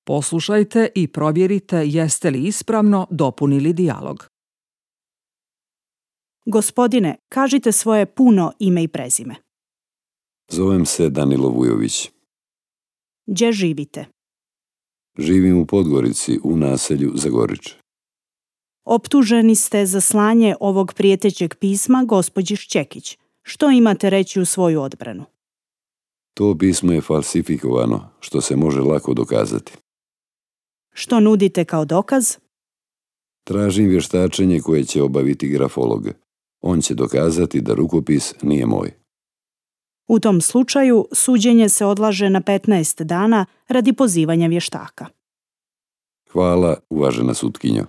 Poslušajte i provjerite jeste li ispravno dopunili dijalog. Gospodine, kažite svoje puno ime i prezime. Zovem se Danilo Vujović. Gdje živite? Živim u Podgorici u naselju Zagorič. Optuženi ste za slanje ovog prijetećeg pisma gospođi Šćekić. Što imate reći u svoju odbranu? To pismo je falsifikovano, što se može lako dokazati. Što nudite kao dokaz? Tražim vještačenje koje će obaviti grafolog. On će dokazati da rukopis nije moj. U tom slučaju suđenje se odlaže na 15 dana radi pozivanja vještaka. Hvala, uvažena sutkinjo.